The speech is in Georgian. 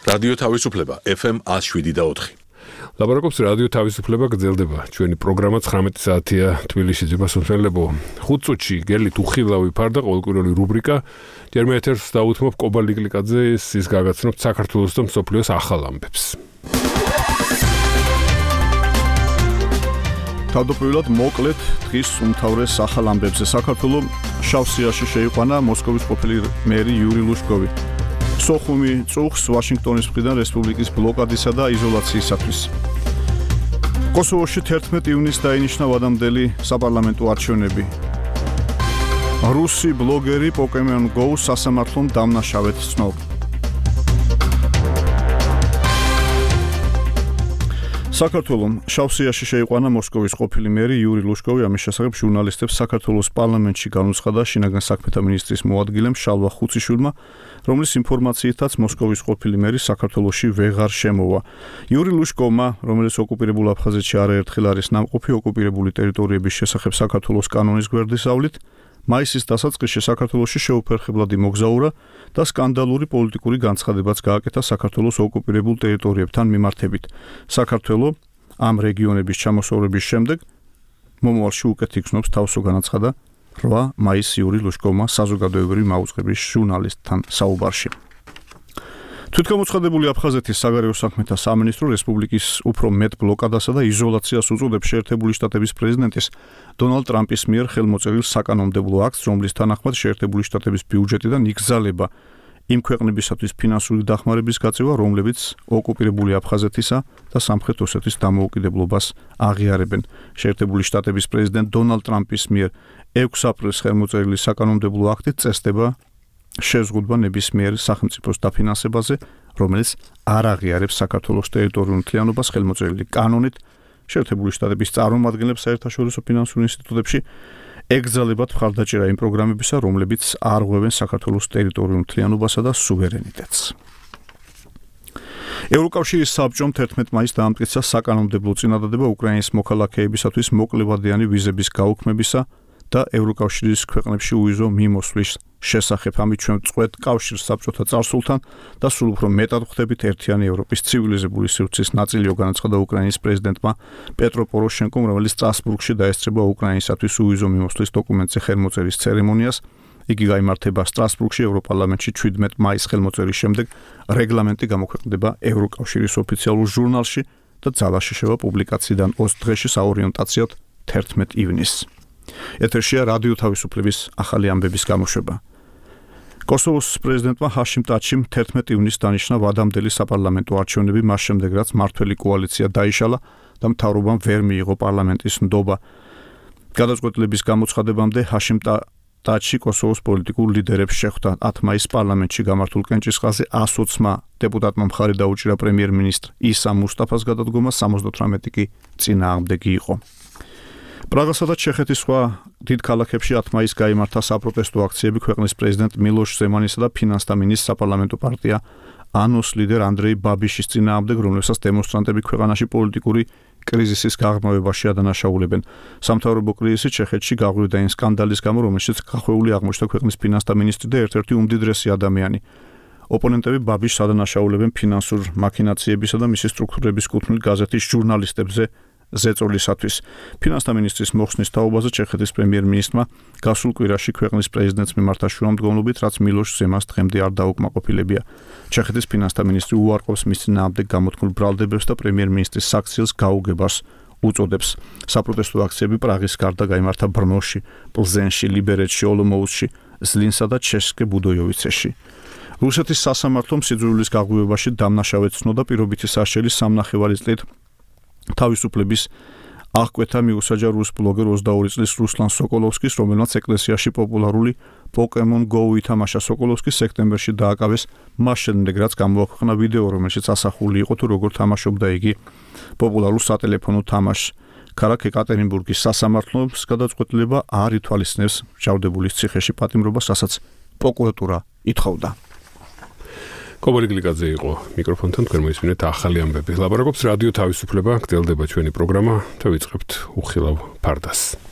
რადიო თავისუფლება FM 107.4. ლაპარაკობს რადიო თავისუფლება გრძელდება. ჩვენი პროგრამა 19 საათია თბილისში ძებასმსმელებო. 5 წუთში გელით უხილავი ფარდა ყოველკვირეული რუბრიკა. ჯერ მე ეთერს დავუთმობ კობა ლიკლიკაძეს, ის გაგაცნობთ საქართველოს და მსოფლიოს ახალ ამბებს. თავდაპირველად მოკლედ დღის უმთავრეს ახალ ამბებზე. საქართველოს შავსიაში შეიყვანა მოსკოვის ყოფილი მერი იური ლუშკოვი. სოხუმი წუხს ვაშინგტონის მხრიდან რესპუბლიკის ბლოკადისა და იზოლაციისათვის. კოსოვოში 11 ივნისს დაინიშნა ვადამდელი საპარლამენტო არჩევნები. რუსი ბლოგერი Pokemon Go სასამართლომ დამნაშავედ ცნობს. საქართველოს შავსიაში შეიყვანა მოსკოვის ყოფილი მერი იური ლუშკოვი. ამის შესახებ ჟურნალისტებს საქართველოს პარლამენტში განუცხადა შინაგან საქმეთა მინისტრის მოადგილემ შალვა ხუციშვილმა, რომლის ინფორმაციითაც მოსკოვის ყოფილი მერი საქართველოში ვეღარ შემოვა. იური ლუშკოვმა, რომელიც ოკუპირებულ აფხაზეთში არაერთხელ არის ნამყოფი ოკუპირებული ტერიტორიების შესახებ საქართველოს კანონის გვერდისავლით, მაისის დასაწყისში საქართველოში შეუფერხებლად იმოგზაურა და სკანდალური პოლიტიკური განცხადებაც გააკეთა საქართველოს ოკუპირებულ ტერიტორიებთან მიმართებით. საქართველო ამ რეგიონების ჩამოსწორების შემდეგ მომავალში უკეთ იქნობს თავსო განაცხადა 8 მაისს იური ლუშკოვმა საზოგადოებრივი მაუწყების ჟურნალისტთან საუბარში. თვითგამოცხადებული აფხაზეთის საგარეო საქმეთა სამინისტრო რესპუბლიკის უფრო მეტ ბლოკადასა და იზოლაციას უწოდებს შეერთებული შტატების პრეზიდენტის დონალდ ტრამპის მიერ ხელმოწერილ საკანონმდებლო აქტს, რომლის თანახმად შეერთებული შტატების ბიუჯეტიდან იგზალება იმ ქვეყნებისათვის ფინანსური დახმარების გაწევა, რომლებიც ოკუპირებული აფხაზეთისა და სამხრეთ ოსეთის დამოუკიდებლობას აღიარებენ. შეერთებული შტატების პრეზიდენტ დონალდ ტრამპის მიერ 6 აპრილს ხელმოწერილი საკანონმდებლო აქტით წესდება შეზღუდვა ნებისმიერ სახელმწიფოს დაფინანსებაზე, რომელიც არ აღიარებს საქართველოს ტერიტორიულ მთლიანობას. ხელმოწერილი კანონით შეერთებული შტატების წარმომადგენლებს საერთაშორისო ფინანსურ ინსტიტუტებში ეკრძალებათ მხარდაჭერა იმ პროგრამებისა, რომლებიც არ ღვევენ საქართველოს ტერიტორიულ მთლიანობასა და სუვერენიტეტს. ევროკავშირის საბჭომ 11 მაისს დაამტკიცა საკანონმდებლო წინადადება უკრაინის მოქალაქეებისათვის მოკლევადიანი ვიზების გაუქმებისა და ევროკავშირის ქვეყნებში უვიზო მიმოსვლის შესახებ. ამით ჩვენ წყვეტ კავშირს საბჭოთა წარსულთან და სულ უფრო მეტად ხვდებით ერთიანი ევროპის ცივილიზებული სივრცის ნაწილიო, განაცხადა უკრაინის პრეზიდენტმა პეტრო პოროშენკომ, რომელიც სტრასბურგში დაესწრება უკრაინისათვის უვიზო მიმოსვლის დოკუმენტზე ხელმოწერის ცერემონიას. იგი გაიმართება სტრასბურგში ევროპარლამენტში 17 მაისს ხელმოწერის შემდეგ. რეგლამენტი გამოქვეყნდება ევროკავშირის ოფიციალურ ჟურნალში და ძალაში შევა პუბლიკაციიდან 20 დღეში საორიენტაციოდ 11 ივნისს. ეთერშია რადიო თავისუფლების ახალი ამბების გამოშვება. კოსოვოს პრეზიდენტმა ჰაშიმ ტაჩიმ 11 ივნისს დანიშნა ვადამდელი საპარლამენტო არჩევნები, მას შემდეგ რაც მართველი კოალიცია დაიშალა და მთავრობამ ვერ მიიღო პარლამენტის ნდობა. გადაწყვეტილების გამოცხადებამდე ჰაშიმ ტაჩი კოსოვოს პოლიტიკურ ლიდერებს შეხვდა. 10 მაისს პარლამენტში გამართულ კენჭისყრაზე 120 დეპუტატმა მხარი დაუჭირა პრემიერ-მინისტრ ისა მუსტაფას გადადგომას, 78 კი წინააღმდეგი იყო. პრაღასა და ჩეხეთის სხვა დიდ ქალაქებში 10 მაისს გაიმართა საპროტესტო აქციები ქვეყნის პრეზიდენტ მილოშ ზემანისა და ფინანსთა მინისტრ საპარლამენტო პარტია ანოს ლიდერ ანდრეი ბაბიშის წინააღმდეგ, რომლებსაც დემონსტრანტები ქვეყანაში პოლიტიკური კრიზისის გაღრმავებაში ადანაშაულებენ. სამთავრობო კრიზისი ჩეხეთში გაღვივდა იმ სკანდალის გამო, რომელშიც გახვეული აღმოჩნდა ქვეყნის ფინანსთა მინისტრი და ერთ-ერთი უმდიდრესი ადამიანი. ოპონენტები ბაბიშს ადანაშაულებენ ფინანსურ მაქინაციებისა და მისი სტრუქტურების კუთვნილ გაზეთის ჟურნალისტებზე ზეწოლისათვის. ფინანსთა მინისტრის მოხსნის თაობაზე ჩეხეთის პრემიერ-მინისტრმა გასულ კვირაში ქვეყნის პრეზიდენტს მიმართა შუამდგომლობით, რაც მილოშ ზემანს დღემდე არ დაუკმაყოფილებია. ჩეხეთის ფინანსთა მინისტრი უარყოფს მის წინააღმდეგ გამოთქმულ ბრალდებებს და პრემიერ-მინისტრის საქციელს გაუგებას უწოდებს. საპროტესტო აქციები პრაღის გარდა გაიმართა ბრნოში, პლზენში, ლიბერეთში, ოლომოუსში, ზლინსა და ჩესკე ბუდოიოვიცეში. რუსეთის სასამართლომ სიძულვილის გაღვივებაში დამნაშავედ ცნოდა პირობითი საშელის 3.5 წლით თავისუფლების აღკვეთა მიუსაჯა რუს ბლოგერ 22 წლის რუსლან სოკოლოვსკის, რომელმაც ეკლესიაში პოპულარული Pokemon Go ითამაშა. სოკოლოვსკი სექტემბერში დააკავეს მას შემდეგ, რაც გამოაქვეყნა ვიდეო, რომელშიც ასახული იყო თუ როგორ თამაშობდა იგი პოპულარულ სატელეფონო თამაშს. ქალაქ ეკატერინბურგის სასამართლოს გადაწყვეტილება არ ითვალისწინებს მჟავდებულის ციხეში პატიმრობას, რასაც პროკურატურა ითხოვდა. კობა ლიკლიკაძე იყო მიკროფონთან, თქვენ მოისმინეთ ახალი ამბები. ლაპარაკობს რადიო თავისუფლება, გრძელდება ჩვენი პროგრამა, დავიწყებთ უხილავ ფარდას.